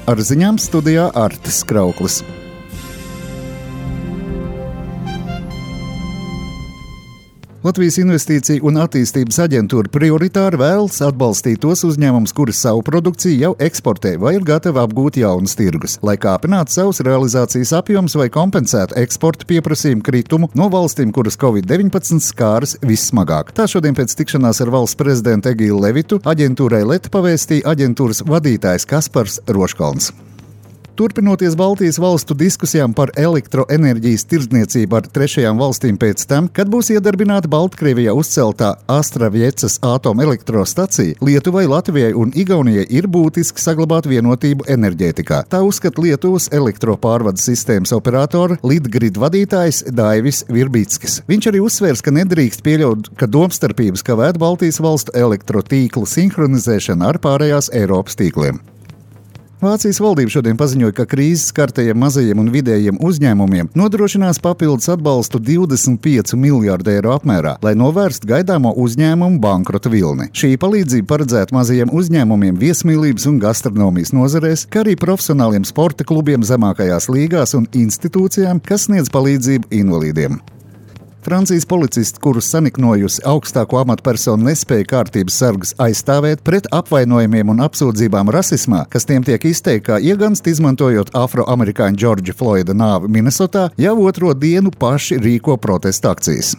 Ar ziņām studijā Artis Krauklis. Latvijas Investīciju un attīstības aģentūra prioritāri vēlas atbalstīt tos uzņēmumus, kuri savu produkciju jau eksportē vai ir gatavi apgūt jaunus tirgus, lai kāpinātu savus realizācijas apjomus vai kompensētu eksporta pieprasījumu kritumu no valstīm, kuras Covid-19 skāras vissmagāk. Tā šodien pēc tikšanās ar valsts prezidentu Egīlu Levitu aģentūrai LET pavēstīja aģentūras vadītājs Kaspars Roškalns. Turpinoties Baltijas valstu diskusijām par elektroenerģijas tirdzniecību ar trešajām valstīm pēc tam, kad būs iedarbināta Baltkrievijā uzceltā Astraviecas atomelektrostacija, Lietuvai, Latvijai un Igaunijai ir būtiski saglabāt vienotību enerģētikā. Tā uzskata Lietuvas elektropārvades sistēmas operatora Litgrid vadītājs Daivis Virbīckis. Viņš arī uzsvērs, ka nedrīkst pieļaut, ka domstarpības kavētu Baltijas valstu elektrotīklu sinhronizēšanu ar pārējās Eiropas tīkliem. Vācijas valdība šodien paziņoja, ka krīzes skartajiem mazajiem un vidējiem uzņēmumiem nodrošinās papildus atbalstu 25 miljārdu eiro apmērā, lai novērstu gaidāmo uzņēmumu bankrota vilni. Šī palīdzība paredzēta mazajiem uzņēmumiem viesmīlības un gastronomijas nozarēs, kā arī profesionāliem sporta klubiem zemākajās līgās un institūcijām, kas sniedz palīdzību invalīdiem. Francijas policisti, kurus saniknojusi augstāko amatpersonu, nespēja kārtības sargus aizstāvēt pret apvainojumiem un apsūdzībām rasismā, kas tiem tiek izteikti kā iegansti, izmantojot afroamerikāņu Džordža Floida nāvi Minnesotā, jau otro dienu paši rīko protesta akcijas.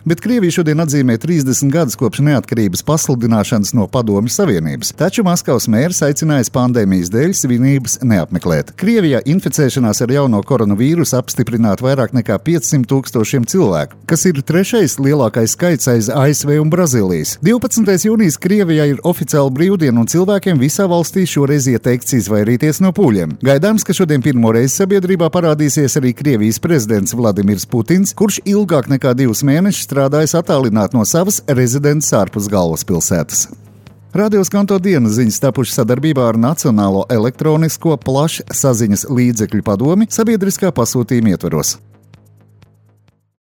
Bet Krievija šodien atzīmē 30 gadus kopš neatkarības pasludināšanas no Padomju Savienības, taču Maskavas mērs aicinājis pandēmijas dēļ svinības neapmeklēt. Krievijā inficēšanās ar jauno koronavīrusu apstiprināta vairāk nekā 500 000 cilvēku, kas ir trešais lielākais skaits aiz ASV un Brazīlijas. 12. jūnijas Krievijā ir oficiāla brīvdiena un cilvēkiem visā valstī šoreiz ieteikts izvairīties no pūļiem. Gaidāms, ka šodien pirmo reizi sabiedrībā parādīsies arī Krievijas prezidents Vladimirs Putins, kurš ilgāk nekā 2 mēnešus strādājis attālināt no savas rezidents ārpus galvaspilsētas. Radio Skanto dienas ziņas tapušas sadarbībā ar Nacionālo elektronisko plašsaziņas līdzekļu padomi sabiedriskā pasūtījuma ietvaros.